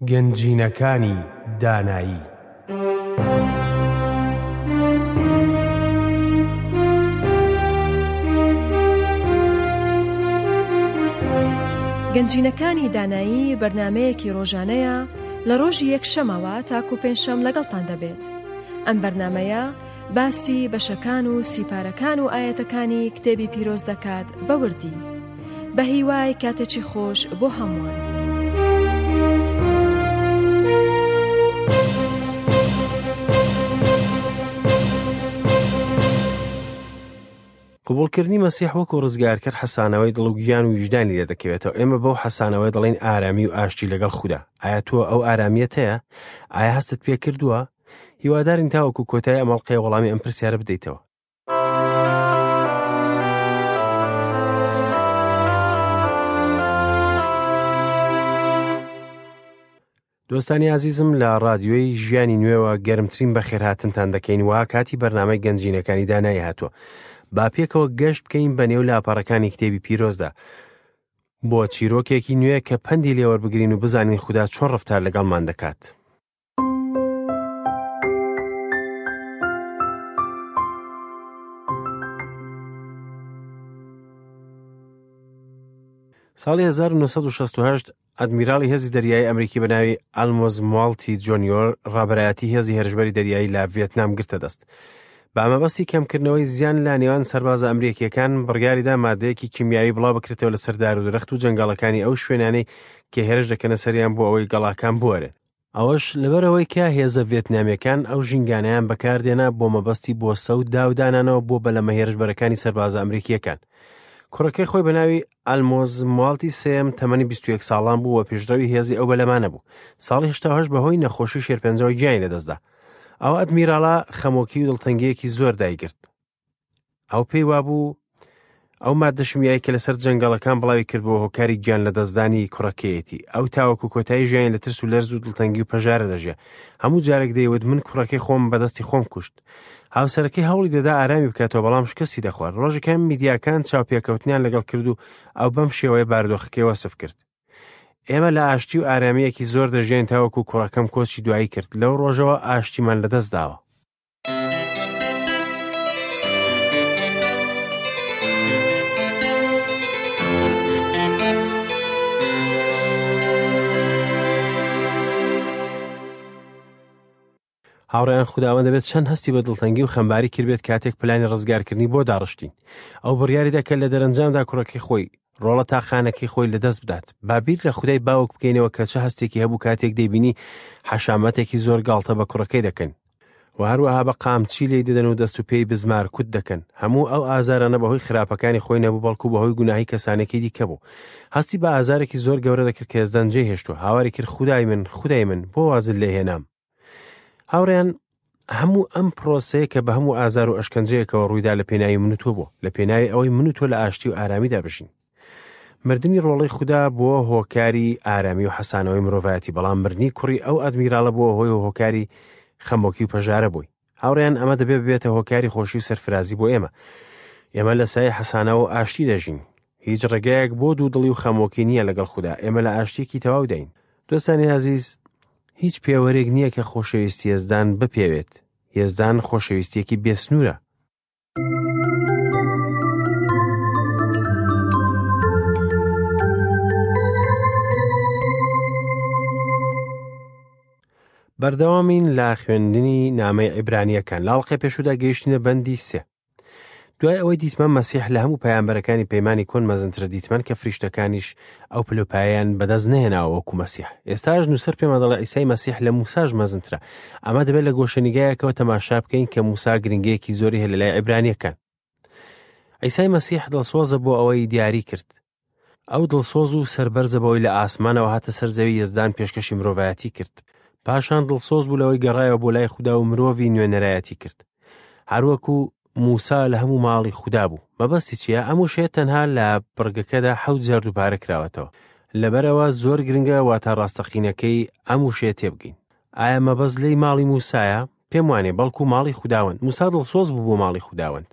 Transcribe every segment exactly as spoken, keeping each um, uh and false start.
گەنجینەکانی دانایی. گەنجینەکانی دانایی بەرنمەیەکی ڕۆژانەیە لە ڕۆژی یەکشەمەوە تاکو پێنجشەم لەگەڵتان دەبێت. ئەم بەرنمەیە باسی بەشەکان و سیپارەکان و ئاەتەکانی کتێبی پیرۆز دەکات بەوردی. بە هیوای کاتێکی خۆش بۆ هەمووان. قبوڵکردنی مەسیح وەکو ڕزگارکەر حەسانەوەی دڵ و گیان و ویژدانی لێ دەکەوێتەوە. ئێمە بەو حەسانەوەی دەڵێین ئارامی و ئاشتی لەگەڵ خودا. ئایا تۆ ئەو ئارامیەت هەیە؟ ئایا هەستت پێ کردووە؟ هیوادارین تاوەکو کۆتایی ئەم ئەڵقەیە وەڵامی ئەم پرسیارە بدەیتەوە. دۆستانی ئازیزم، لە ڕادیۆی ژیانی نوێوە گەرمترین بەخێرهاتنتان دەکەین وا کاتی بەرنامەی گەنجینەکانی دانایی هاتووە. با پێکەوە گەشت بکەین بە نێو لاپەڕەکانی کتێبی پیرۆزدا بۆ چیرۆکێکی نوێ کە پەندی لێوەربگرین و بزانین خودا چۆن ڕەفتار لەگەڵمان دەکات. ساڵی هەزار و نۆ سەد و شەست و هەشت ئەدمیراڵی هێزی دەریایی ئەمریکی بە ناوی ئالمۆز موالتی جۆنیۆر ڕابەرایەتی هێزی هێرشبەری دەریایی لە ڤێتنام گرتە دەست. بە مەبەستی کەمکردنەوەی زیان لە نێوان سەربازە ئەمریکیەکان بڕیاریدا مادەیەکی کیمیاوی بڵاو بکرێتەوە لەسەر دار و درەخت و جەنگەڵەکانی ئەو شوێنانەی کە هێرش دەکەنە سەریان بۆ ئەوەی گەڵاکان بوەرن. ئەوەش لەبەرەوەی کە هێزە ڤێتنامیەکان ئەو ژینگانەیان بەکاردێنا بۆ مەبەستی بۆسە و داودانانەوە بۆ بەلەمە هێرشبەرەکانی سەربازە ئەمریکیەکان. کوڕەکەی خۆی بە ناوی ئالمۆز موالتی سێم تەمەنی بیست و یەک ساڵان بوو و پێشڕەوی هێزی ئەو بەلەمانە بوو. ساڵی هەشتا و هەشت بەهۆی نەخۆشی شێرپەنجەوە گیانی لەدەستدا. ئەو ئەدمیراڵە خەمۆکی و دڵتەنگیەکی زۆر دایگرت. ئەو پێی وابوو ئەو مادە شیمیایی کە لەسەر جەنگەڵەکان بڵاوی کرد بۆ هۆکاری گیان لەدەستدانی کوڕەکەیەتی. ئەو تاوەکو کۆتایی ژیانی لە ترس و لەرز و دڵتەنگی و پەژارە دەژیا. هەموو جارێک دەیوت من کوڕەکەی خۆم بەدەستی خۆم کوشت. هاوسەرەکەی هەوڵی دەدا ئارامی بکاتەوە، بەڵام شکستی دەخوارد. ڕۆژەکان میدیاکان چاوپێکەوتنیان لەگەڵ کرد و ئەو بەم شێوەیە بارودۆخەکەی وەسف کرد. ئێمە لە ئاشتی و ئارامییەکی زۆر دەژیین تاوەکو کوڕەکەم کۆچی دوایی کرد. لەو ڕۆژەوە ئاشتیمان لەدەست داوە. هاوڕێیان، خوداوەند دەبێت چەند هەستی بە دڵتەنگی و خەمباری کردبێت کاتێک پلانی ڕزگارکردنی بۆ داڕشتین. ئەو بڕیاریدا کە لە دەرەنجامدا کوڕەکەی خۆی ڕۆڵە تاقانەکەی خۆی لەدەست بدات. با بیر لە خودای باوک بکەینەوە کە چه هەستێکی هەبوو کاتێک دەیبینی حەشامەتێکی زۆر گاڵتە بە کوڕەکەی دەکەن و هەروەها بە قامچی لێی دەدەن و دەست و پێی بزمار کوت دەکەن. هەموو ئەو ئازارانە بەهۆی خراپەکانی خۆی نەبوو، بەڵکو بەهۆی گوناهی کەسانێکی دیکە بوو. هەستی بە ئازارێکی زۆر گەورە دەکرد کە یەزدان جێی هێشتووە. هاواری کرد خودای من، خودای من، بۆ وازت لێ هێنام. هاوڕێیان، هەموو ئەم پرۆسەیە کە بە هەموو ئازار و ئەشکەنجەیەکەوە ڕوویدا لە پێناوی من و تۆ بوو، لە پێناوی ئەوەی من و تۆ لە ئاشتی و ئارامیدا بژین. مردنی ڕۆڵەی خودا بووە هۆکاری ئارامی و حەسانەوەی مرۆڤایەتی، بەڵام مردنی کوڕی ئەو ئەدمیراڵە بووە هۆی هۆکاری خەمۆکی و پەژارە بووی. هاوڕێیان، ئەمە دەبێت ببێتە هۆکاری خۆشی و سەرفرازی بۆ ئێمە. ئێمە لە سایەی حەسانەوە و ئاشتی دەژین. هیچ ڕێگەیەک بۆ دوودڵی و خەمۆکی نییە لەگەڵ خودا. ئێمە لە ئاشتیەکی تەواو دەین. دۆستانی ئازیز، هیچ پێوەرێک نییە کە خۆشەویستی یەزدان بپێوێت. یەزدان خۆشەویستیەکی بێسنوورە. بەردەوامین لە خوێندنی نامەی عیبرانیەکان. لە ئەڵقەی پێشوودا گەیشتینە بەندی سێ. دوای ئەوەی دیتمان مەسیح لە هەموو پەیامبەرەکانی پەیمانی کۆن مەزنترە، دیتمان کە فریشتەکانیش ئەو پلۆپایەیان بەدەست نەهێناوە وەکو مەسیح. ئێستاش نووسەر پێمان دەڵێ عیسای مەسیح لە موساش مەزنترە. ئەمە دەبێت لە گۆشەنیگایەکەوە تەماشا بکەین کە موسا گرنگەیەکی زۆری هەیە لە لای عیبرانیەکان. عیسای مەسیح دڵسۆزە بۆ ئەوەی دیاری کرد. ئەو دڵسۆز و سەربەرزە بەوەی لە ئاسمانەوە هاتە سەر زەوی یەزدان پێشکەشی مرۆڤایەتی کرد. پاشان دڵسۆز بوو لەوەی گەڕایەوە بۆ لای خودا و مرۆڤی نوێنەرایەتی کرد. هەروەکو موسا لە هەموو ماڵی خودا بوو. مەبەستی چییە؟ ئەم وشەیە تەنها لە بڕگەکەدا حەوت جار دووبارە کراوەتەوە. لەبەرەوە زۆر گرنگە واتا ڕاستەقینەکەی ئەم وشەیە تێبگەین. ئایا مەبەست لێی ماڵی موسایە؟ پێم وانێ، بەڵکو ماڵی خوداوەند. موسا دڵسۆز بوو بۆ ماڵی خوداوەند.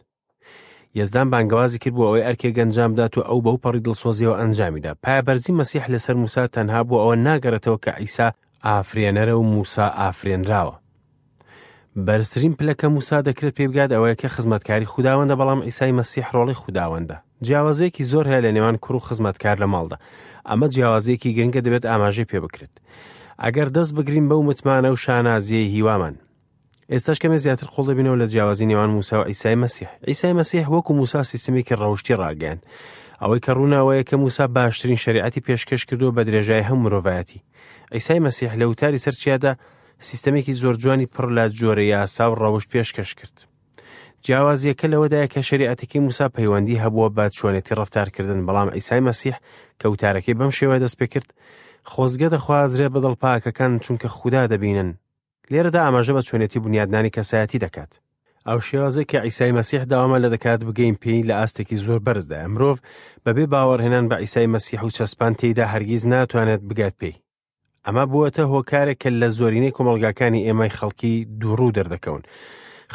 یەزدان بانگەوازی کرد بۆ ئەوەی ئەرکێک ئەنجام بدات و ئەو بەو پەڕی دڵسۆزیەوە ئەنجامیدا. پایەبەرزی مەسیح لەسەر موسا تەنها بۆ ئەوە ناگەڕێتەوە کە عیسا ئافرێنەرە و موسا ئافرێنراوە. بەرزترین پلە کە موسا دەکرێت پێ بگات ئەوەیە کە خزمەتکاری خوداوەندە، بەڵام عیسای مەسیح ڕۆڵی خوداوەندە. جیاوازیەکی زۆر هەیە لە نێوان کوڕ و خزمەتکار لە ماڵدا. ئەمە جیاوازیەکی گرنگە دەبێت ئاماژەی پێ بکرێت. ئەگەر دەست بگرین بەو متمانە و شانازیەی هیوامان. ئێستاش کەمێ زیاتر قوڵ دەبینەوە لە جیاوازی نێوان موسا و عیسای مەسیح. عیسای مەسیح وەکو موسا سیستمێکی ڕەوشتی ڕاگەیاند. ئەوەی کە ڕووناوەیە کە موسا باشترین شەریعەتی پێشکەش کردووە بە درێژای هەموو مرۆڤایەتی. عیسای مەسیح لە وتاری سەر چیادا سیستەمێکی زۆر جوانی پڕ لە جۆرە یاسا و ڕەوشت پێشکەش کرد. جیاوازیەکە لەوەدایە کە شەریعەتەکەی موسا پەیوەندی هەبووە بە چۆنێتی ڕەفتارکردن، بەڵام عیسای مەسیح کە وتارەکەی بەم شێوە دەست پێ کرد، خۆزگە دەخوازرێ بە دڵپاکەکان چونکە خودا دەبینن. لێرەدا ئاماژە بە چۆنێتی بونیادنانی کەسایەتی دەکات. ئەو شێوازەی کە عیسای مەسیح داوامان لە دەکات بگەین پێی لە ئاستێکی زۆر بەرزدایە. مرۆڤ بەبێ باوەڕهێنان بە عیسای مەسیح و چەسپان تێیدا هەرگیز ناتوانێت بگات پێی. ئەمە بووەتە هۆکارێک کە لە زۆرینەی کۆمەڵگاکانی ئێمەی خەڵکی دووڕوو دەردەکەون.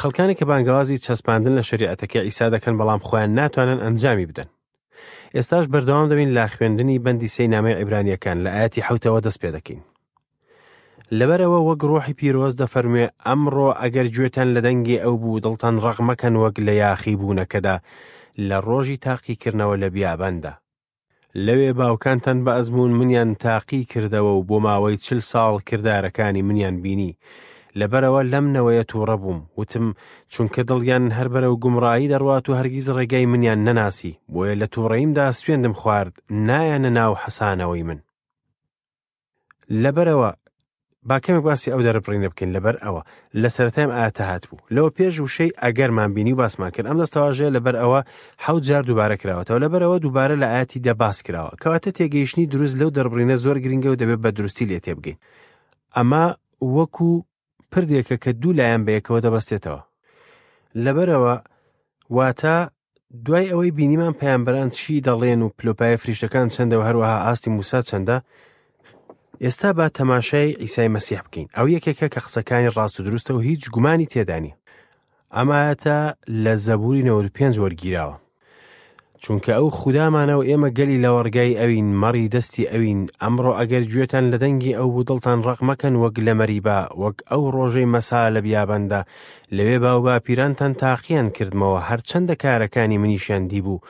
خەڵکانی کە بانگەوازی چەسپاندن لە شەریعەتەکەی عیسا دەکەن، بەڵام خۆیان ناتوانن ئەنجامی بدەن. ئێستاش بەردەوام دەبین لە خوێندنی بەندی سێی نامەی عیبرانیەکان لە ئاەتی حەوتەوە دەست پێ دەکەین. لەبەرەوە وەک ڕۆحی پیرۆز دەفەرموێ، ئەمڕۆ ئەگەر گوێتان لە دەنگی ئەو بوو دڵتان ڕەق مەکەن وەک لە یاخی بوونەکەدا لە ڕۆژی تاقیکردنەوە لە بیاباندا. لەوێ باوکانتان بە ئەزموون منیان تاقی کردەوە و بۆ ماوەی چل ساڵ کردارەکانی منیان بینی. لەبەرەوە لەم نەوەیە تووڕە بووم، وتم چونکە دڵیان هەر بەرەو گومڕایی دەڕوات و هەرگیز ڕێگای منیان نەناسی، بۆیە لە تووڕەییمدا سوێندم خوارد نایەنە ناو حەسانەوەی من. لەبەرەوە با کەمێک باسی ئەو دەربڕینە بکەین. لەبەر ئەوە لە سەرەتایم ئاەتە هاتبوو. لەوە پێش وشەی ئەگەرمان بینی و باسمان کرد. ئەم دەستەواژەیە لەبەر ئەوە حەوت جار دووبارە کراوەتەوە. لەبەرەوە دووبارە لە ئاەتی دە باس کراوە. کەواتە تێگەیشتنی دروست لەو دەربڕینە زۆر گرنگە و دەبێت بە دروستی لێ تێبگەین. ئەمە وەکو پردێکە کە دوو لایەن بەیەکەوە دەبەستێتەوە. لەبەرەوە واتە دوای ئەوەی بینیمان پەیامبەران چی دەڵێن و پلۆپای فریشتەکان چەندە و هەروەها ئاستی موسا چەندە، ئێستا با تەماشای عیسای مەسیح بکەین. ئەو یەکێکە کە قسەکانی ڕاست و دروستە و هیچ گومانی تێدا نییە. ئەم ئایەتە لە زەبوری نەوەد و پێنج وەرگیراوە. چونکە ئەو خودامانە و ئێمە گەلی لەوەڕگای ئەوین، مەڕی دەستی ئەوین. ئەمڕۆ ئەگەر گوێتان لە دەنگی ئەو بوو دڵتان ڕەق مەکەن وەک لە مەریبا، وەک ئەو ڕۆژەی مەسا لە بیاباندا، لەوێ باوباپیرانتان تاقیان کردمەوە، هەرچەندە کارەکانی منیشیان دیبوو.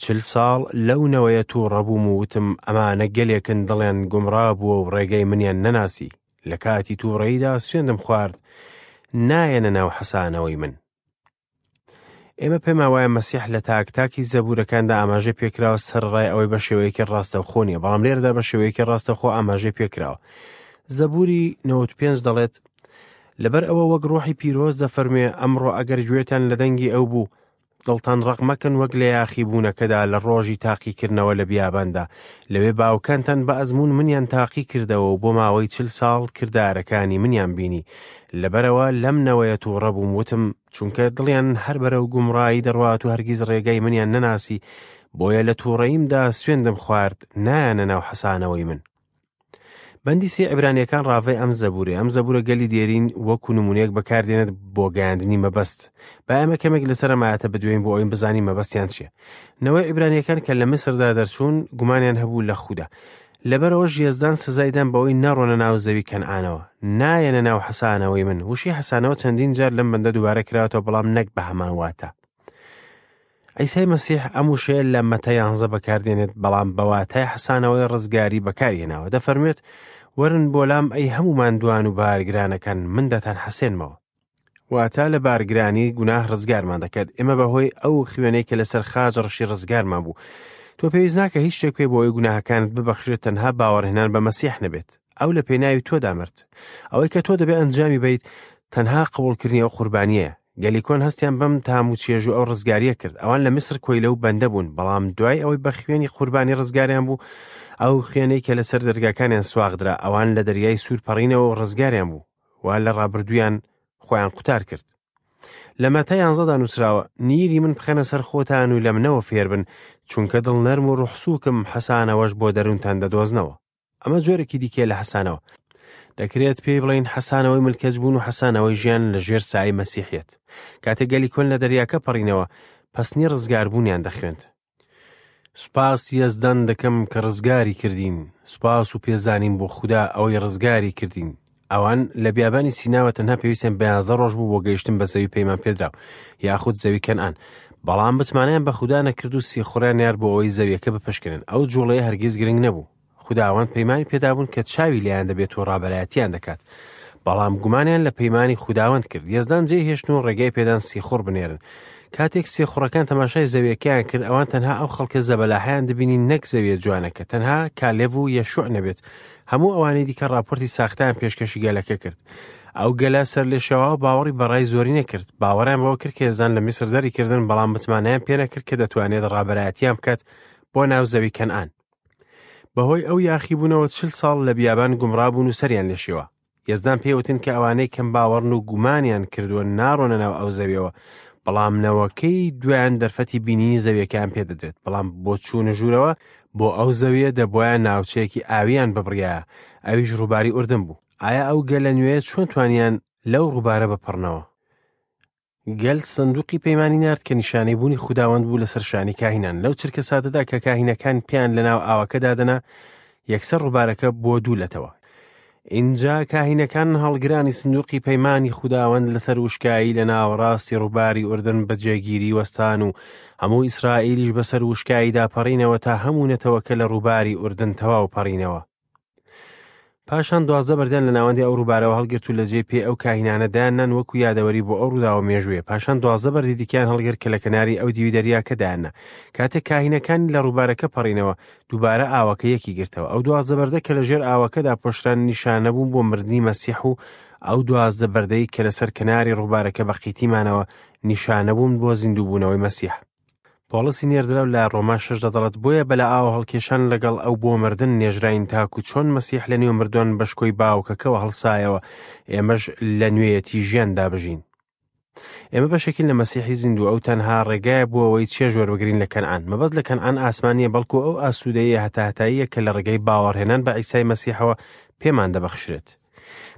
چل ساڵ لەو نەوەیە تووڕە بووم و وتم ئەمانە گەلێکن دڵیان گومڕا بووە و ڕێگەی منیان نەناسی. لە کاتی تووڕەییدا سوێندم خوارد نایەنە ناو حەسانەوەی من. ئێمە پێمان وایە مەسیح لە تاک تاکی زەبوورەکاندا ئاماژەی پێکراوە، سەرڕای ئەوەی بە شێوەیەکی ڕاستەوخۆ نییە، بەڵام لێرەدا بە شێوەیەکی ڕاستەوخۆ ئاماژەی پێکراوە. زەبوری نەوەد و پێنج دەڵێت، لەبەر ئەوە وەک ڕۆحی پیرۆز دەفەرموێ، ئەمڕۆ ئەگەر گوێتان لە دەنگی ئەو بوو دڵتان ڕەق مەکەن وەک لە یاخی بوونەکەدا لە ڕۆژی تاقیکردنەوە لە بیاباندا، لەوێ باوکانتان بە ئەزموون منیان تاقی کردەوە و بۆ ماوەی چل ساڵ کردارەکانی منیان بینی. لەبەرەوە لەم نەوەیە تووڕە بووم، وتم چونکە دڵیان هەر بەرەو گومڕایی دەڕوات و هەرگیز ڕێگای منیان نەناسی، بۆیە لە تووڕەییمدا سوێندم خوارد نایەنە ناو حەسانەوەی من. بەندی سێ عیبرانیەکان ڕاڤەی ئەم زەبورێ. ئەم زەبورە گەلی دێرین وەکو نمونەیەک بەکاردێنێت بۆ گەیاندنی مەبەست. با ئێمە کەمێک لەسەر ئەم ئایەتە بدوێین بۆ ئەوەی بزانین مەبەستیان چییە. نەوەی عیبرانیەکان کە لە میسردا دەرچوون گومانیان هەبوو لە خودا. لەبەرەوەش یەزدان سزایدان بەوەی نەڕۆنە ناو زەوی کەنعانەوە، نایەنە ناو حەسانەوەی من. وشەی حەسانەوە چەندین جار لەم بەندە دووبارە کراوەتەوە، بەڵام نەک بە هەمان واتە. عیسای مەسیح ئەم وشەیە لە مەتا یانزە بەکاردێنێت، بەڵام بە واتای حەسانەوەی ڕزگاری بەکارهێناوە. دەفەرموێت وەرن بۆ لام ئەی هەموو ماندووان و بارگرانەکان، من دەتان حەسێنمەوە. واتە لە بارگرانی گوناه ڕزگارمان دەکات. ئێمە بەهۆی ئەو خوێنەی کە لەسەر خاچ ڕشی ڕزگارمان بوو. تۆ پێویست ناکە هیچ شتێک بکەی بۆ ئەوەی گوناهەکانت ببەخشرێت، تەنها باوەڕهێنان بە مەسیح نەبێت. ئەو لە پێناوی تۆدا مرد. ئەوەی کە تۆ دەبێ ئەنجامی بیت تەنها قبوڵکردنی ئەو قوربانیەیە. گەلی کۆن هەستیان بەم تام و چێژ و ئەو ڕزگاریە کرد. ئەوان لە میسر کۆیلە و بەندە بوون، بەڵام دوای ئەوەی بە خوێنی قوربانی ڕزگاریان بوو، ئەو خوێنەی کە لەسەر دەرگاکانیان سواغدرا، ئەوان لە دەریای سوور پەڕینەوە و ڕزگاریان بوو و لە ڕابردوویان خۆیان قوتار کرد. لە مەتا یانزەدا نووسراوە، نیری من بخەنە سەر خۆتان و لە منەوە فێربن، چونکە دڵنەرم و ڕوحسووکم، حەسانەوەش بۆ دەروونتان دەدۆزنەوە. ئەمە جۆرێکی دیکە لە حەسانەوە. دەکرێت پێی بڵێین حەسانەوەی ملکەچبوون و حەسانەوەی ژیان لە ژێر سایەی مەسیحیەت. کاتێک گەلی کۆن لە دەریاکە پەڕینەوە، پەسنی ڕزگاربوونیان دەخوێند. سوپاس یەزدان دەکەم کە ڕزگاری کردین، سوپاس و پێزانین بۆ خودا ئەوەی ڕزگاری کردین. ئەوان لە بیابانی سیناوە تەنها پێویستیان بە یازدە ڕۆژ بوو بۆ گەیشتن بە زەوی پەیمان پێدراو یاخود زەوی کەنعان، بەڵام متمانەیان بە خودا نەکرد و سیخوڕیان نارد بۆ ئەوەی زەویەکە بپشکنن. ئەو جوڵەیە هەرگیز گرنگ نەبوو. خوداوەند پەیمانی پێدابوون کە چاوی لێیان دەبێت و ڕابەرایەتیان دەکات، بەڵام گومانیان لە پەیمانی خوداوەند کرد. یەزدان جێی هێشتن و ڕێگای پێدان سیخوڕ بنێرن. کاتێک سیخوڕەکان تەماشای زەویەکەیان کرد، ئەوان تەنها ئەو خەڵکە زەبەلاحیان دەبینی نەک زەویە جوانەکە، تەنها کالێڤ و یەشوع نەبێت. هەموو ئەوانەی دیکە راپۆرتی ساختەیان پێشکەشی گەلەکە کرد. ئەو گەلە سەرلێشێواوە باوەڕی بەڕای زۆری نەکرد. باوەڕیان بەوە کرد کە یەزدان لە میسر دەریکردن، بەڵام متمانەیان پێ نەکرد کە دەتوانێت ڕابەرایەتیان بکات بۆ ناو زەوی کەنعان. بەهۆی ئەو یاخیبوونەوە چل ساڵ لە بیابان گومڕا بوون و سەریان لێشێوە. یەزدان پێوتن کە ئەوانەی کەم باوەڕن و گومانیان کردووە ناڕۆنە ناو ئەو زەویەوە، بەڵام نەوەکەی دوایان دەرفەتی بینینی زەویەکەیان پێدەدرێت. بەڵام بۆ چوونە ژوورەوە بۆ ئەو زەویە دەبوایە ناوچەیەکی ئاویان ببڕیایە، ئەویش ڕووباری ئوردن بوو. ئایا ئەو گەلە نوێ چۆن توانیان لەو ڕووبارە بپەڕنەوە؟ گەل سندوقی پەیمانی نارد کە نیشانەی بوونی خوداوەند بوو لەسەر شانی کاهینان. لەو چرکە ساتەدا کە کاهینەکان پێیان لەناو ئاوەکەدا دەنا، یەکسەر ڕووبارەکە بۆ دوو لەتەوە. ئینجا کاهینەکان هەڵگرانی سندوقی پەیمانی خوداوەند لەسەر وشکایی لە ناوەڕاستی ڕووباری ئوردن بە جێگیری وەستان و هەموو ئیسرائیلیش بەسەر وشکاییدا پەڕینەوە تا هەموو نەتەوەکە لە ڕووباری ئوردن تەواو پەڕینەوە. پاشان دوازدە بەردیان لە ناوەندی ئەو ڕووبارەوە هەڵگرت و لە جێی پێ ئەو کاهینانە دایاننان وەکو یادەوەری بۆ ئەو ڕووداوە مێژوویە. پاشان دوازدە بەردی دیکەیان هەڵگرت کە لە کەناری ئەو دیوی دەریاکە دایاننا. کاتێک کاهینەکان لە ڕووبارەکە پەڕینەوە، دووبارە ئاوەکە یەکی گرتەوە. ئەو دوازدە بەردە کە لە ژێر ئاوەکەدا پۆشران نیشانە بوون بۆ مردنی مەسیح و ئەو دوازدە بەردەی کە لەسەر کەناری ڕووبارەکە بە قیتیمانەوە نیشانە بوون بۆ زیندووبوونەوەی مەسیح. پۆڵسی نێردراو لە ڕۆما شەش دەڵێت بۆیە بە لە ئاوە هەڵکێشان لەگەڵ ئەو بۆ مردن نێژراین تاکو چۆن مەسیح لە نێو مردوان بە شکۆی باوکەکەوە هەڵسایەوە، ئێمەش لە نوێیەتی ژیاندا بژین. ئێمە بەشێکین لە مەسیحی زیندوو. ئەو تەنها ڕێگایە بۆ ئەوەی چێژ وەربگرین لە کەنعان. مەبەست لە کەنعان ئاسمانیە، بەڵکو ئەو ئاسوودەیە هەتاهەتاییە کە لە ڕێگەی باوەڕهێنان بە عیسای مەسیحەوە پێمان دەبەخشرێت.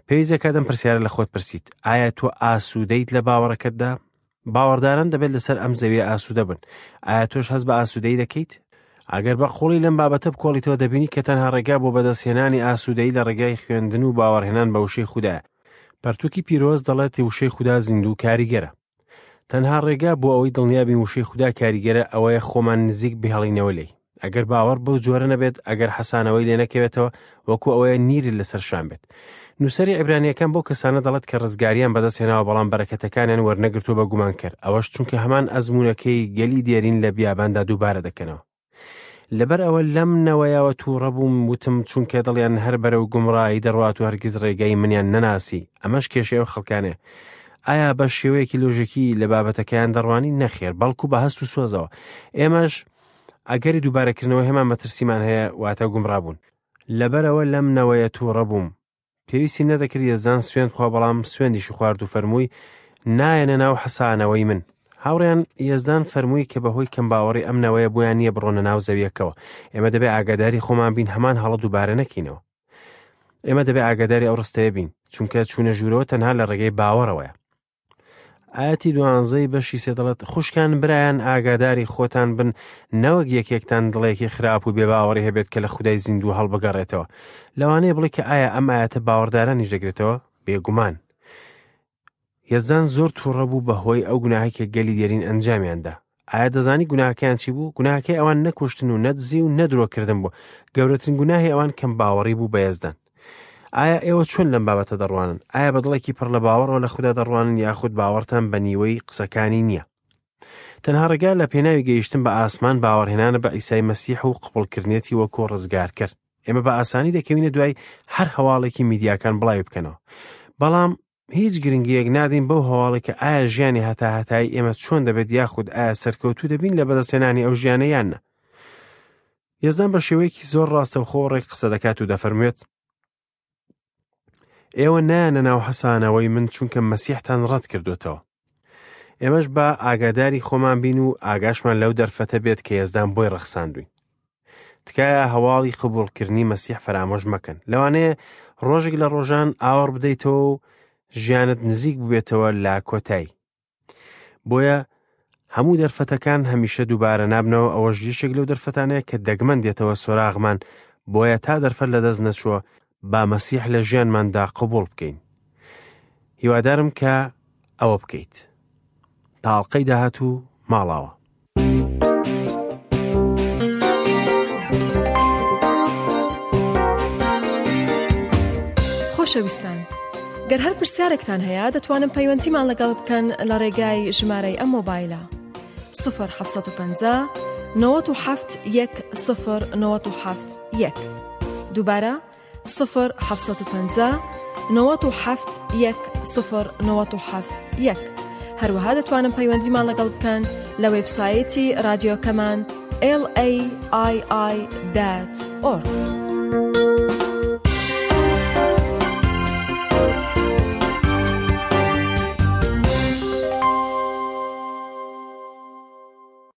پێویست دەکات ئەم پرسیارە لە خۆت پرسیت: ئایا تۆ ئاسوودەیت لە باوەڕەکەتدا؟ باوەڕداران دەبێت لەسەر ئەم زەویە ئاسوودە بن. ئایا تۆش هەست بە ئاسوودەیی دەکەیت؟ ئەگەر بە قوڵی لەم بابەتە بکۆڵیتەوە، دەبینی کە تەنها ڕێگا بۆ بەدەستهێنانی ئاسوودەیی لە ڕێگای خوێندن و باوەڕهێنان بە وشەی خودایە. پەرتوکی پیرۆز دەڵێت وشەی خودا زیندوو کاریگەرە. تەنها ڕێگا بۆ ئەوەی دڵنیا بین وشەی خودا کاریگەرە ئەوەیە خۆمان نزیک بهێڵینەوە لێی. ئەگەر باوەڕ بەو جۆرە نەبێت، ئەگەر حەسانەوەی لێ نەکەوێتەوە، وەکو ئەوەیە نیرت لەسەر شان بێت. نووسەری عیبرانیەکان بۆ کەسانە دەڵێت کە ڕزگاریان بەدەستهێناوە بەڵام بەرەکەتەکانیان وەرنەگرتووە بە گومان کرد، ئەوەش چونکە هەمان ئەزموونەکەی گەلی دێرین لە بیاباندا دووبارە دەکەنەوە. لەبەر ئەوە لەم نەوەیەوە تووڕە بووم، وتم چونکە دڵیان هەر بەرەو گومڕایی دەڕوات و هەرگیز ڕێگای منیان نەناسی. ئەمەش کێشەی ئەو خەڵکانەیە. ئایا بە شێوەیەکی لۆژیکی لە بابەتەکەیان دەڕوانی؟ نەخێر، بەڵکو بە هەست و سۆزەوە. ئێمەش ئەگەری دووبارەکردنەوە هێمان مەترسیمان هەیە، واتە گومڕا بوون. لەبەرەوە لەم نەوەیە تووڕە بووم. پێویستی نەدەکرد یەزدان سوێند بخوا، بەڵام سوێندیشی خوارد و فەرمووی نایەنە ناو حەسانەوەی من. هاوڕێیان، یەزدان فەرمووی کە بەهۆی کەم باوەڕی ئەم نەوەیە بۆیان نییە بڕۆنە ناو زەویەکەوە. ئێمە دەبێ ئاگاداری خۆمان بین، هەمان هەڵە دووبارە نەکەینەوە. ئێمە دەبێ ئاگاداری ئەو ڕستەیە بین، چونکە چوونە ژوورەوە تەنها لە ڕێگەی باوەڕەوەیە. ئاەتی دوانزەی بەشی سێ دەڵێت خوشکان برایان ئاگاداری خۆتان بن، نەوەک یەکێکتان دڵێکی خراپ و بێباوەڕی هەبێت کە لە خودای زیندوو هەڵبگەڕێتەوە. لەوانەیە بڵێ کە ئایا ئەم ئاەتە باوەڕدارانیش دەگرێتەوە؟ بێگومان. یەزدان زۆر تووڕە بوو بەهۆی ئەو گوناهەی کە گەلی دێرین ئەنجامیاندا. ئایا دەزانی گوناهەکەیان چی بوو؟ گوناهەکەی ئەوان نەکوشتن و نەدزی و نەدرۆکردن بوو. گەورەترین گوناهی ئەوان کەم باوەڕی بوو بە یەزدان. ئایا ئێوە چۆن لەم بابەتە دەڕوانن؟ ئایا بە دڵێکی پڕ لە باوەڕەوە لە خودا دەڕوانن یاخود باوەڕتان بە نیوەی قسەکانی نییە؟ تەنها ڕێگا لە پێناوی گەیشتن بە ئاسمان باوەڕهێنانە بە عیسای مەسیح و قبوڵکردنێتی وەکو ڕزگارکەر. ئێمە بە ئاسانی دەکەوینە دوای هەر هەواڵێکی میدیاکان بڵاوی بکەنەوە، بەڵام هیچ گرنگیەک نادەین بەو هەواڵێک کە ئایا ژیانی هەتاهەتایی ئێمە چۆن دەبێت یاخود ئایا سەرکەوتوو دەبین لە بەدەستهێنانی ئەو ژیانە یان نا. یەزدان بە شێوەیەکی زۆر ڕاستەوخۆ ڕێک قسە دەکات و دەفەرموێت ئێوە نایەنە ناو حەسانەوەی من چونکە مەسیحتان ڕەت کردوتەوە. ئێمەش با ئاگاداری خۆمان بین و ئاگاشمان لەو دەرفەتە بێت کە یەزدان بۆی ڕەخساندوین. تکایە هەواڵی قبوڵکردنی مەسیح فەرامۆش مەکەن. لەوانەیە ڕۆژێک لە ڕۆژان ئاوەڕ بدەیتەوە و ژیانت نزیک ببێتەوە لە کۆتایی. بۆیە هەموو دەرفەتەکان هەمیشە دووبارە نابنەوە، ئەوەش یەکێک لەو دەرفەتانەیە کە دەگمەن دێتەوە سۆراغمان، بۆیە تا دەرفەت لەدەست نەچووە با مەسیح لە ژیانماندا قبوڵ بکەین. هیوادارم کە ئەوە بکەیت. تا ئەڵقەی داهاتوو ماڵاوە. خۆشەویستان، گەر هەر پرسیارێکتان هەیە دەتوانن پەیوەندیمان لەگەڵ بکەن لە ڕێگای ژمارەی ئەم مۆبایلە صفر حەفت پەنجا نەوەت و حەفت یەک صفر نەوەت و حەفت یەک. دووبارە صفر حەفت پەنجا نەوەت و حەفت یەک صفر نەوەت و حەفت یەک. هەروەها دەتوانن پەیوەندیمان لەگەڵ بکەن لە وێبسایتی رادیۆکەمان L A I I dot org.